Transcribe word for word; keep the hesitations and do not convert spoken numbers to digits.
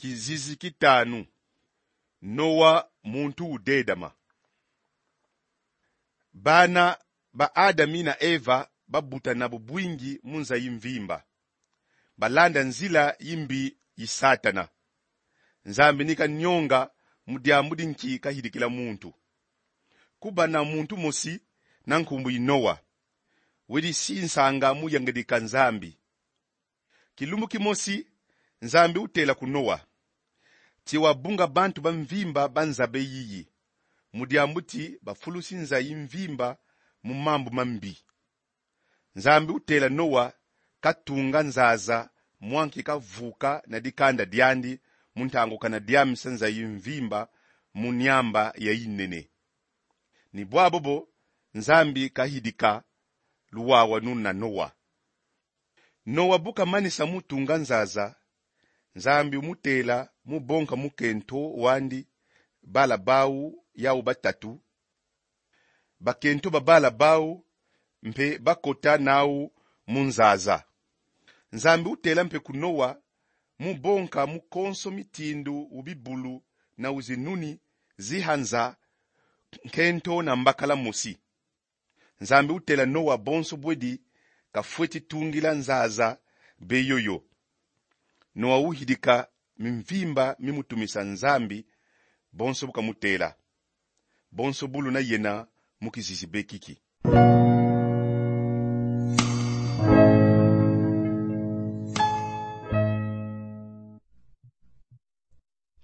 Kizizi ki tanu. Noa, muntu udedama. Bana ba Adami na Eva babutana bubwingi mu nza yi mvimba. Balanda nzila yimbi yi Satana. Nzambi ni kanyonga mu diambu di nki kayidikila muntu. Kubana muntu mosi na nkumbu yi Noa. Weri si nsanga mu yangidika Nzambi. Kilumbu kimosi, Nzambi utela ku Noa ti wabunga bantu ba mvimba ba nza beyiyi, mu diambu ti bafulusi nza yi mvimba mu mambu mambi. Nzambi utela Noa katunga nzaza mwa nki kavuka na dikanda diandi mu ntangu kana diamisa nza yi mvimba mu nyamba ya yinene. Ni bwabobo Nzambi kayidika luwawanu na Noa. Noa bu kamanisa mu tunga nzaza, Nzambi umutela mu bonka mukento wandi bala bau yau batatu. Bakento ba bala bau mpe bakota nau mu nzaza. Nzambi utela mpe ku Noa mu bonka mu konso mitindu u bibulu na u zinuni ziha nza, nkento na mbakala mosi. Nzambi utela Noa bonso bwedi kafweti tungila nzaza be yoyo. Noa uyidika mimvimba mi mutumisa Nzambi, bonso bu kamutela. Bonso bu luna yena mu kizizi be kiki.